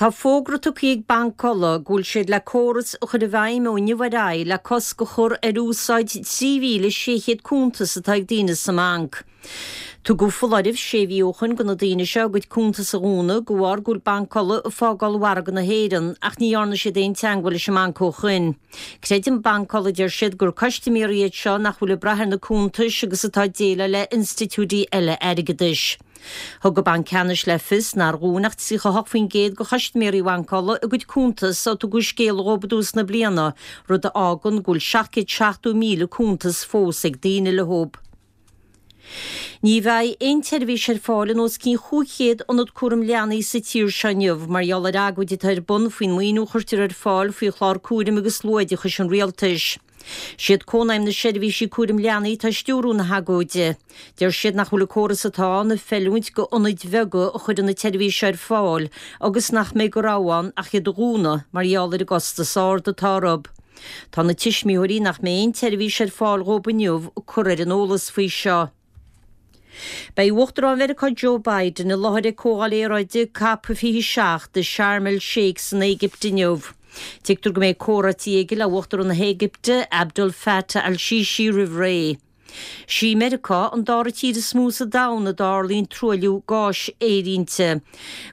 Tá fógra tugtha ag Banc Uladh go bhfuil siad le córas a chur i bhfeidhm ó inniu ar aghaidh le cosc a chur ar úsáid 3,600 cuntas atá ag daoine sa mbanc. Tugadh foláireamh sé mhí ó shoin do na daoine seo a gcuid cuntas a dhúnadh de bharr go bhfuil Banc Uladh ag fágáil mhargadh na hÉireann ach ní dhearna siad aon teangmháil leis an mbanc ó shoin. Creideann Banc Uladh, deir siad, gur custaiméirí iad seo nach bhfuil ag brath ar na cuntais agus atá ag déileáil le institiúidí eile airgeadais. Thug an Banc Ceannais le fios nár dhún ach 38% de chustaiméirí Bhanc Uladh a gcuid cuntas ó tugadh scéala dhóibh i dtús na bliana, rud a fhágann go bhfuil 770,000 cuntas fós ag daoine leo. Ní bheidh aon tseirbhís ar fáil in os cionn 500 ionad cúraim leanaí sa tír seo inniu mar gheall ar agóid atá ar bun faoin maoiniú a chuirtear ar fáil faoi chlár cúraim agus luathoideachais an rialtais. Siad Cónaidhm na Seirbhísí Cúraim Leanaí atá ag stiúrú na hagóide. Deir siad nach bhfuil an córas atá ann ag feiliúint go ionaid bheaga a chuireann na tseirbhís seo ar fáil agus nach mbeidh de rogha ann ach iad a dhúnadh mar gheall ar an gcostas ard atá orthu. Tá na tuismitheoirí nach mbeidh aon tseirbhís ar fáil dhóibh inniu curtha ar an eolas faoi seo. Beidh Uachtarán Mheiriceá Joe Biden i láthair ag Comhdháil Aeráide Cop 27 i Sharm el Sheikh san Éigipt inniu. Tuigtear go mbeidh comhráití aige le Uachtarán na hÉigipte, Abdel Fattah al-Sisi roimh ré. Sí Meiriceá an dara tír is mó sa domhan a dtarlaíonn truailliú gáis aeriontach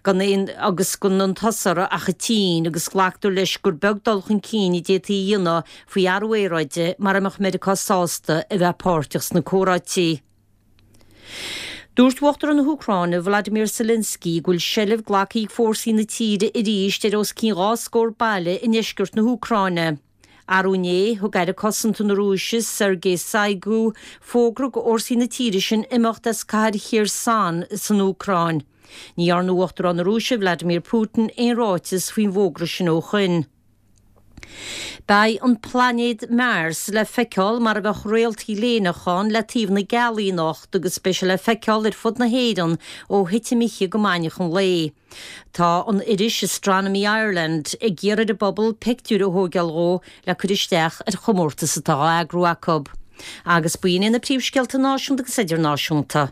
gan aon agus gan aon turas ach an tSín agus glactar leis gur beag dul chun cinn a d'fhéadfaí a dhéanamh faoi athrú aeráide mara mbeadh Meiriceá sásta a bheith páirteach sna comhráití. Dúirt Uachtarán na hÚcráine, Volodymyr Zelensky, go bhfuil seilbh glactha ag fórsaí na tíre arís ar os cionn 2 scór baile i ndeisceart na hÚcráine. Arú inné, thug Aire Cosanta na Rúise, Sergei Shoigu, fógra go fhórsaí na tíre sin imeacht as cathair Kherson san Úcráin. Ní dhearna Uachtarán na Rúise, Vladimir Putin, aon ráiteas faoin bhfógra sin ó shoin. Beidh an plainéad Mars le feiceáil mar a bheadh réalta léineach ann le taobh na gealaí anocht agus beidh sé le feiceáil ar fud na hÉireann ó thitim oíche go maidneachan lae. Tá an iris Astronomy Ireland ag iarraidh ar an bpobal pictiúir a thóigeáil dhó le cur isteach ar chomórtas atá á eagrú acu. Agus b'in iad na príomhscéalta náisiúnta agus idirnáisiúnta.